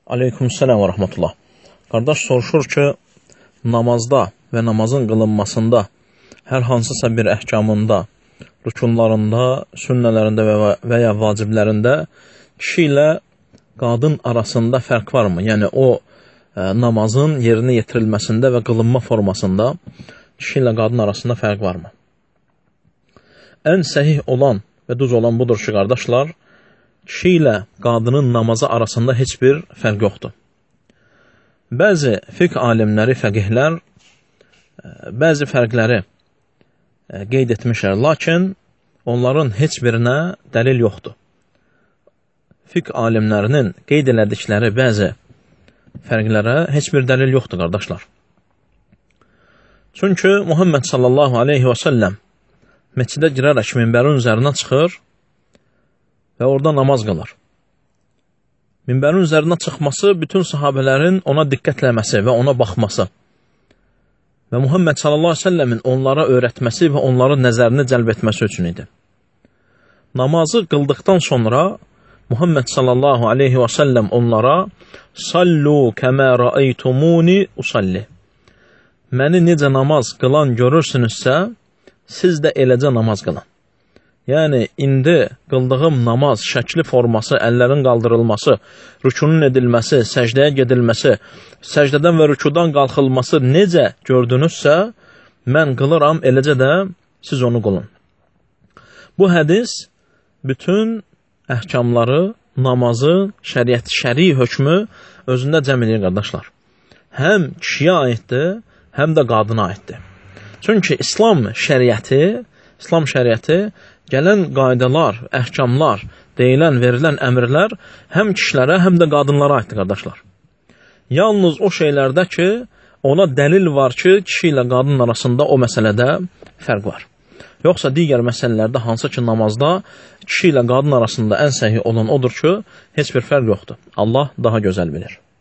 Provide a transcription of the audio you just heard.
Aleykümselam və rəhmətullah. Qardaş soruşur ki, namazda və namazın qılınmasında hər hansısa bir əhkamında, rükunlarında, sünnələrində və ya vaciblərində kişi ilə qadın arasında fərq varmı? Yəni o namazın yerinə yetirilməsində və qılınma formasında kişi ilə qadın arasında fərq varmı? Ən səhih olan və düz olan budur ki, qardaşlar, kişi ilə qadının namazı arasında heç bir fərq yoxdur. Bəzi fiqh alimləri, fəqihlər bəzi fərqləri qeyd etmişlər, lakin onların heç birinə dəlil yoxdur. Fiqh alimlərinin qeyd elədikləri bəzi fərqlərə heç bir dəlil yoxdur, qardaşlar. Çünki Muhammed sallallahu aleyhi və səlləm məscidə girərək minbərin üzərinə çıxır və orada namaz qılır. Minbərin üzərinə çıxması bütün sahabələrin ona diqqətləməsi və ona baxması və Muhammed sallallahu aleyhi ve sellemin onlara öyrətməsi və onların nəzərini cəlb etməsi üçün idi. Namazı qıldıqdan sonra Muhammed sallallahu aleyhi ve sellem onlara "Sallu kəmə rəaytumuni usalli" məni necə namaz qılan görürsünüzsə, siz də eləcə namaz qılın. Yəni, indi qıldığım namaz, şəkli forması, əllərin qaldırılması, rükunun edilməsi, səcdəyə gedilməsi, səcdədən və rükudan qalxılması necə gördünüzsə, mən qılıram, eləcə də siz onu qılın. Bu hədis bütün əhkamları, namazı, şəri hökmü özündə cəm edir, qardaşlar. Həm kişiyə aiddir, həm də qadına aiddir. Çünki İslam şəriəti gələn qaydalar, əhkamlar, deyilən, verilən əmrlər həm kişilərə, həm də qadınlara aiddir, qardaşlar. Yalnız o şeylərdə ki, ona dəlil var ki, kişi ilə qadın arasında o məsələdə fərq var. Yoxsa digər məsələlərdə, hansı ki, namazda kişi ilə qadın arasında ən səhi olan odur ki, heç bir fərq yoxdur. Allah daha gözəl bilir.